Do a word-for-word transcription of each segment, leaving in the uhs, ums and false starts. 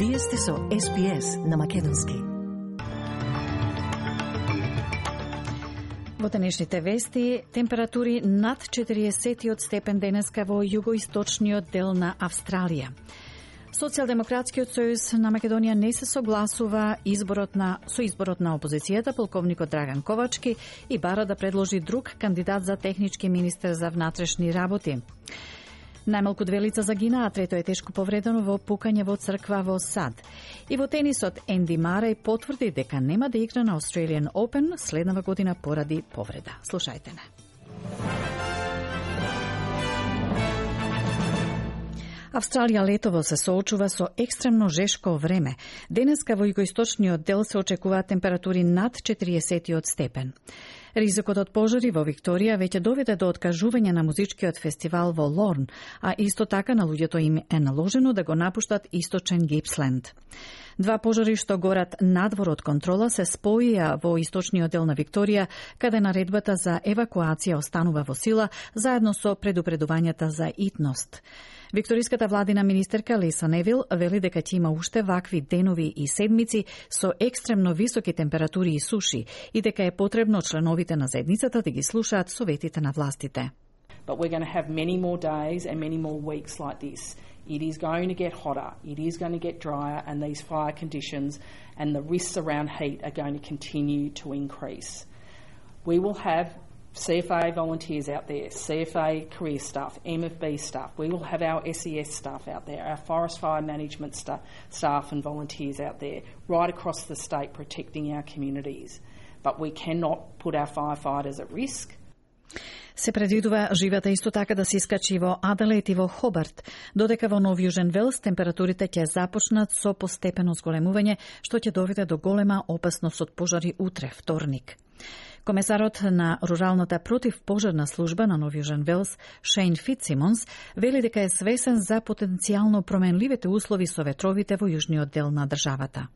Вие сте со Ес Би Ес на македонски. Во денешните вести, температури над четириесет степен денеска во југоисточниот дел на Австралија. Социјалдемократскиот сојуз на Македонија не се согласува изборот на, со изборот на опозицијата, полковникот Драган Ковачки, и бара да предложи друг кандидат за технички министер за внатрешни работи. Најмалку две лица загинаа, а трето е тешко повредено во пукање во црква во Сад. И во тенисот, Енди Мареј потврди дека нема да игра на Australian Open следнава година поради повреда. Слушајте не. Австралија летово се соочува со екстремно жешко време. Денеска во југоисточниот дел се очекуваат температури над четириесет степен. Ризикот од пожари во Викторија веќе доведе до откажување на музичкиот фестивал во Лорн, а исто така на луѓето им е наложено да го напуштат источен Гипсленд. Два пожари што горат надвор од контрола се споија во источниот дел на Викторија, каде наредбата за евакуација останува во сила, заедно со предупредувањата за итност. Викториската владина министерка Лиса Невил вели дека ќе има уште вакви денови и седмици со екстремно високи температури и суши и дека е потребно членовите на заедницата да ги слушаат советите на властите. But we're going to have many more days and many more weeks like this. It is going to get hotter, it is going to get drier, and these fire conditions and the risks around heat are going to continue to increase. We will have C F A volunteers out there, C F A career staff, M F B staff. We will have our S E S staff out there, our forest fire management sta- staff and volunteers out there, right across the state protecting our communities. But we cannot put our firefighters at risk. Се предвидува живата исто така да се искачи во Аделаид и во Хобарт, додека во Нов Јужен Велс температурите ќе започнат со постепено зголемување, што ќе доведе до голема опасност од пожари утре, вторник. Комесарот на Руралната противпожарна служба на Нов Јужен Велс, Шейн Фитсимонс, вели дека е свесен за потенцијално променливите услови со ветровите во јужниот дел на државата.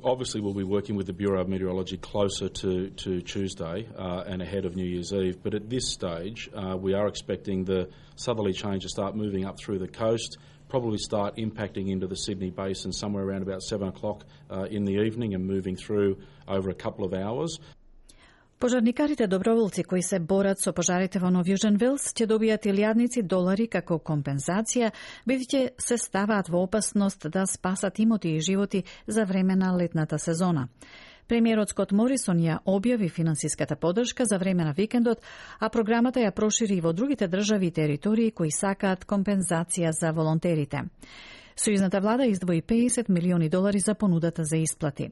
Obviously, we'll be working with the Bureau of Meteorology closer to, to Tuesday uh, and ahead of New Year's Eve. But at this stage, uh, we are expecting the southerly change to start moving up through the coast, probably start impacting into the Sydney basin somewhere around about seven o'clock uh, in the evening and moving through over a couple of hours. Пожарникарите доброволци кои се борат со пожарите во Нов Јужен Велс ќе добијат илјадници долари како компензација, бидејќи се ставаат во опасност да спасат имоти и животи за време на летната сезона. Премиерот Скот Морисон ја објави финансиската поддршка за време на викендот, а програмата ја прошири и во другите држави и територии кои сакаат компензација за волонтерите. Сојузната влада издвои педесет милиони долари за понудата за исплати.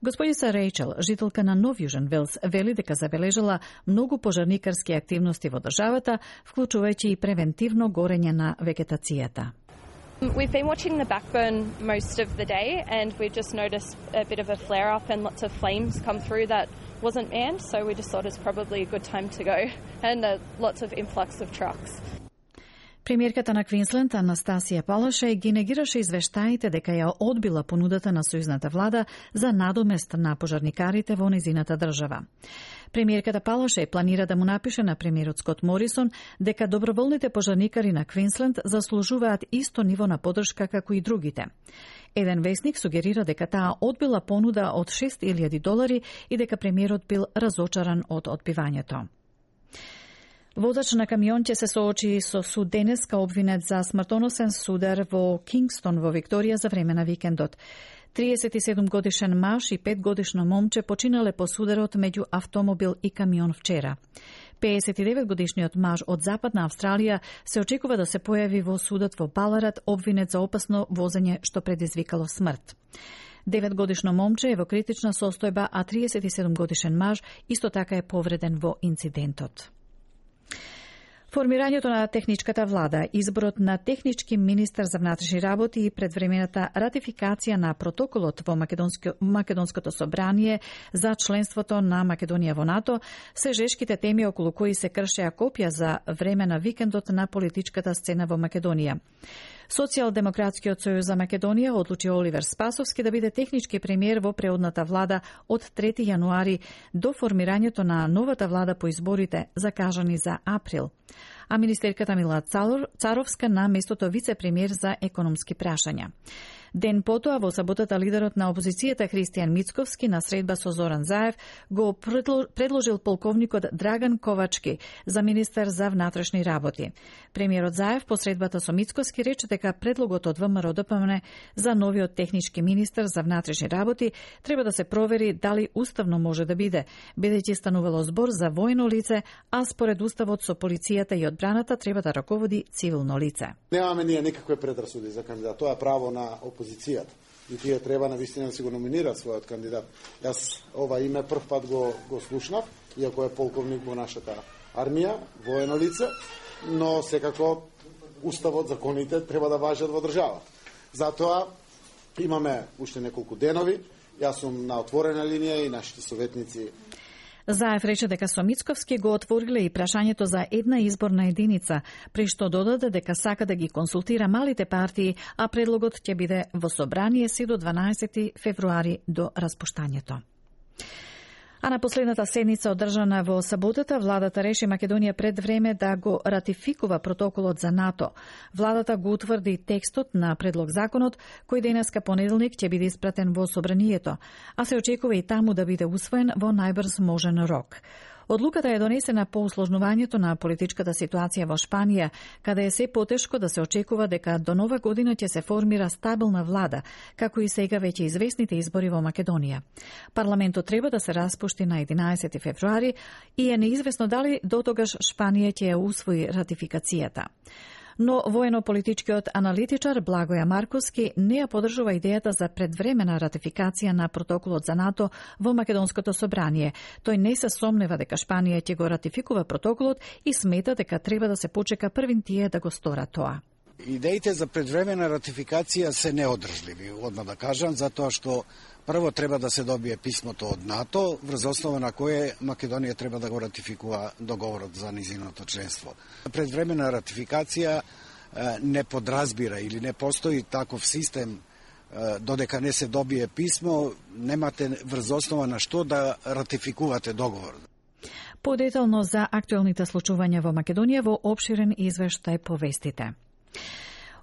Господица Рейчел, жителка на Нов Јужен Велс, вели дека забележала многу пожарникарски активности во државата, вклучувајќи и превентивно горење на вегетацијата. We've been watching the backburn most of the day and we've just noticed a bit of a flare up and lots of flames come through that wasn't manned, so we just thought it's probably a good time to go and uh, lots of influx of trucks. Премиерката на Квинсленд Анастасија Палашај ги негираше извештаите дека ја одбила понудата на сојузната влада за надомест на пожарникарите во незината држава. Премиерката Палашај планира да му напише на премиерот Скот Морисон дека доброволните пожарникари на Квинсленд заслужуваат исто ниво на поддршка како и другите. Еден весник сугерира дека таа одбила понуда од шест илјади долари и дека премиерот бил разочаран од одбивањето. Водач на камион ќе се соочи со суд денеска обвинет за смртоносен судар во Кингстон во Викторија за време на викендот. триесет и седум годишен маж и пет годишно момче починале по сударот меѓу автомобил и камион вчера. педесет и девет годишниот маж од Западна Австралија се очекува да се појави во судот во Баларат обвинет за опасно возење што предизвикало смрт. девет годишно момче е во критична состојба, а триесет и седум годишен маж исто така е повреден во инцидентот. Формирањето на техничката влада, изборот на технички министер за внатрешни работи и предвремената ратификација на протоколот во Македонско, Македонското собрание за членството на Македонија во НАТО се жешките теми околу кои се кршеа копија за време на викендот на политичката сцена во Македонија. Социјалдемократскиот сојуз за Македонија одлучи Оливер Спасовски да биде технички премиер во преодната влада од трети јануари до формирањето на новата влада по изборите закажани за април. А министерката Мила Царовска на местото вице-премиер за економски прашања. Ден потоа, во саботата, лидерот на опозицијата Христијан Мицковски на средба со Зоран Заев го предложил полковникот Драган Ковачки за министер за внатрешни работи. Премиерот Заев по средбата со Мицковски рече дека предлогот од ВМРО-ДПМН за новиот технички министер за внатрешни работи треба да се провери дали уставно може да биде, бидејќи станувало збор за војно лице, а според уставот со полицијата и одбраната треба да раководи цивилно лице. Немаме ние никакви предрасуди за кандидат. Тоа е право на опозицијата. И тие треба навистина да си го номинираат својот кандидат. Јас ова име прв пат го, го слушнав, иако е полковник во нашата армија, воено лице, но секако уставот, законите треба да важат во државата. Затоа имаме уште неколку денови. Јас сум на отворена линија и нашите советници. Заев рече дека со Мицковски го отвориле и прашањето за една изборна единица, при што додаде дека сака да ги консултира малите партии, а предлогот ќе биде во собрание си до дванаесети февруари до распуштањето. А на последната седница одржана во саботата, владата реши Македонија пред време да го ратификува протоколот за НАТО. Владата го утврди текстот на предлог законот, кој денеска понеделник ќе биде испратен во собранието, а се очекува и таму да биде усвоен во најбрз можен рок. Одлуката е донесена по усложнувањето на политичката ситуација во Шпанија, каде е се потешко да се очекува дека до нова година ќе се формира стабилна влада, како и сега веќе известните избори во Македонија. Парламентот треба да се распушти на единаесети февруари и е неизвестно дали дотогаш Шпанија ќе ја усвои ратификацијата. Но воено-политичкиот аналитичар Благоја Марковски не ја поддржува идејата за предвремена ратификација на протоколот за НАТО во Македонското собрание. Тој не се сомнева дека Шпанија ќе го ратификува протоколот и смета дека треба да се почека првин тие да го сторат тоа. Идеите за предвремена ратификација се неодржливи, одма да кажам, затоа што прво треба да се добие писмото од НАТО, врз основа на кое Македонија треба да го ратификува договорот за низиното членство. Предвремена ратификација не подразбира или не постои таков систем додека не се добие писмо, немате врз основа на што да ратификувате договор. Подетално за актуелните случувања во Македонија во опширен извештај по вестите.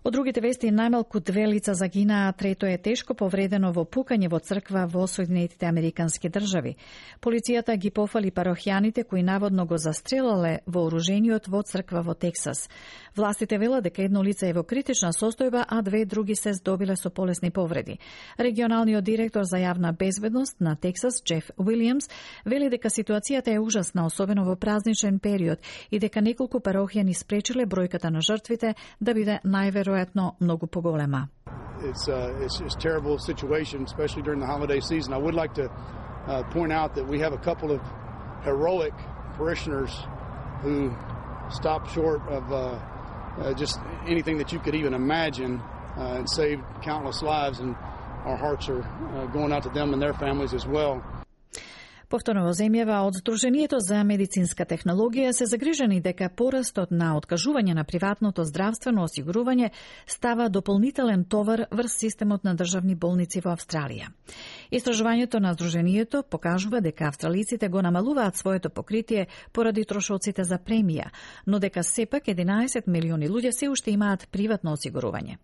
Од другите вести, најмалку две лица загинаа, трето е тешко повредено во пукање во црква во Соединетите Американски држави. Полицијата ги пофали парохијаните кои наводно го застрелале вооружениот во црква во Тексас. Властите велат дека едно лице е во критична состојба, а две други се здобиле со полесни повреди. Регионалниот директор за јавна безбедност на Тексас, Джеф Уилијамс, вели дека ситуацијата е ужасна, особено во празничен период, и дека неколку парохијани спречиле бројката на жртвите да биде најверојатно многу поголема. It's uh, it's just a terrible situation, especially during the holiday season. I would like to uh, point out that we have a couple of heroic parishioners who stopped short of uh, uh, just anything that you could even imagine uh, and saved countless lives, and our hearts are uh, going out to them and their families as well. Повторно во земјава од Сдруженијето за медицинска технологија се загрижени дека порастот на откажување на приватното здравствено осигурување става дополнителен товар врз системот на државни болници во Австралија. Истражувањето на Сдруженијето покажува дека австралиците го намалуваат своето покритие поради трошоците за премија, но дека сепак единаесет милиони луѓе се уште имаат приватно осигурување.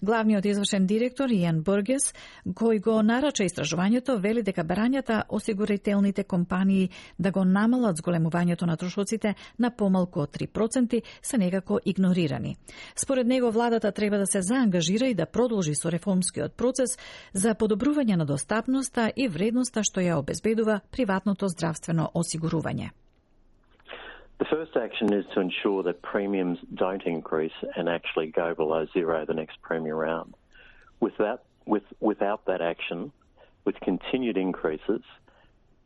Главниот извршен директор Иан Бургес, кој го нарача истражувањето, вели дека барањата осигурителни компании да го намалат зголемувањето на трошоците на помалку од три проценти се некако игнорирани. Според него, владата треба да се заангажира и да продолжи со реформскиот процес за подобрување на достапноста и вредноста што ја обезбедува приватното здравствено осигурување. The first action is to ensure that premiums don't increase and actually go below zero the next premium round. With that, with, without that action, with continued increases,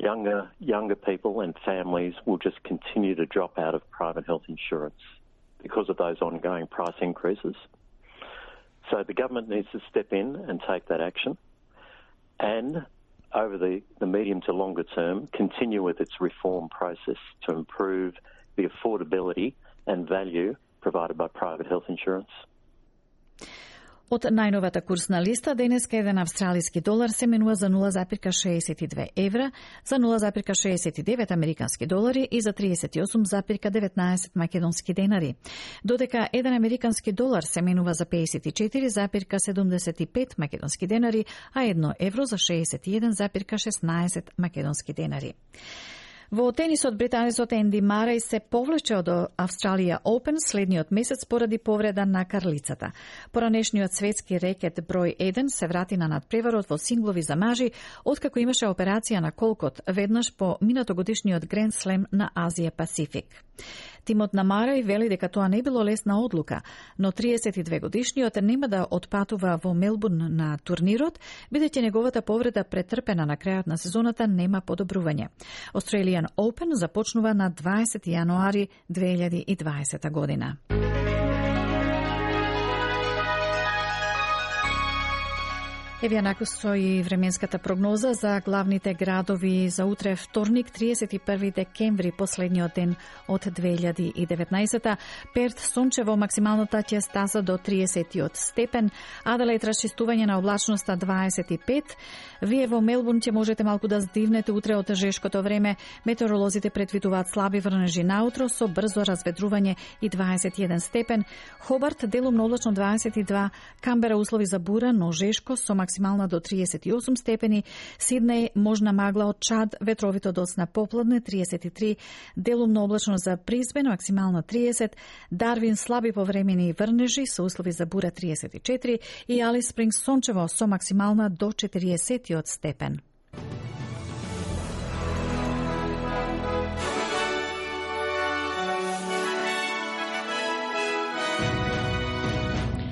Younger, younger people and families will just continue to drop out of private health insurance because of those ongoing price increases. So the government needs to step in and take that action, and over the, the medium to longer term, continue with its reform process to improve the affordability and value provided by private health insurance. Од најновата курсна листа, денеска еден австралиски долар се менува за нула запирка шеесет и две евра, за нула запирка шеесет и девет американски долари и за триесет и осум запирка деветнаесет македонски денари. Додека еден американски долар се менува за пеесет и четири запирка седумдесет и пет македонски денари, а едно евро за шеесет и еден запирка шеснаесет македонски денари. Во тенисот британецот Енди Мареј се повлече од Австралија Open следниот месец поради повреда на карлицата. Поранешниот светски рекет број еден се врати на надпреварот во синглови за мажи, откако имаше операција на колкот, веднаш по минатогодишниот Гранд Слем на Азија Пасифик. Тимот на Мареј вели дека тоа не било лесна одлука, но триесет и две годишниот нема да отпатува во Мелбурн на турнирот, бидејќи неговата повреда претрпена на крајот на сезоната нема подобрување. Australian Open започнува на дваесети јануари две илјади и дваесета година. Еве накусо и временската прогноза за главните градови за утре вторник, триесет и први декември, последниот ден од две илјади и деветнаесета. Перт сончево, максималната ќе стаса до триесет степен, Аделаид расчистување на облачноста дваесет и пет. Вие во Мелбурн ќе можете малку да здивнете утре од тежешкото време. Метеоролозите предвидуваат слаби врнежи наутро со брзо разведрување и дваесет и еден степен. Хобарт делумно облачно дваесет и два, Камбера услови за бура, но жешко со максимална до триесет и осум степени, Сиднеј можна магла од Чад, ветровито доцна попладне триесет и три, делумно облачно за Брисбен, максимална триесет, Дарвин слаби повремени врнежи со услови за бура триесет и четири и Алис Спрингс сончево со максимална до четириесет степен.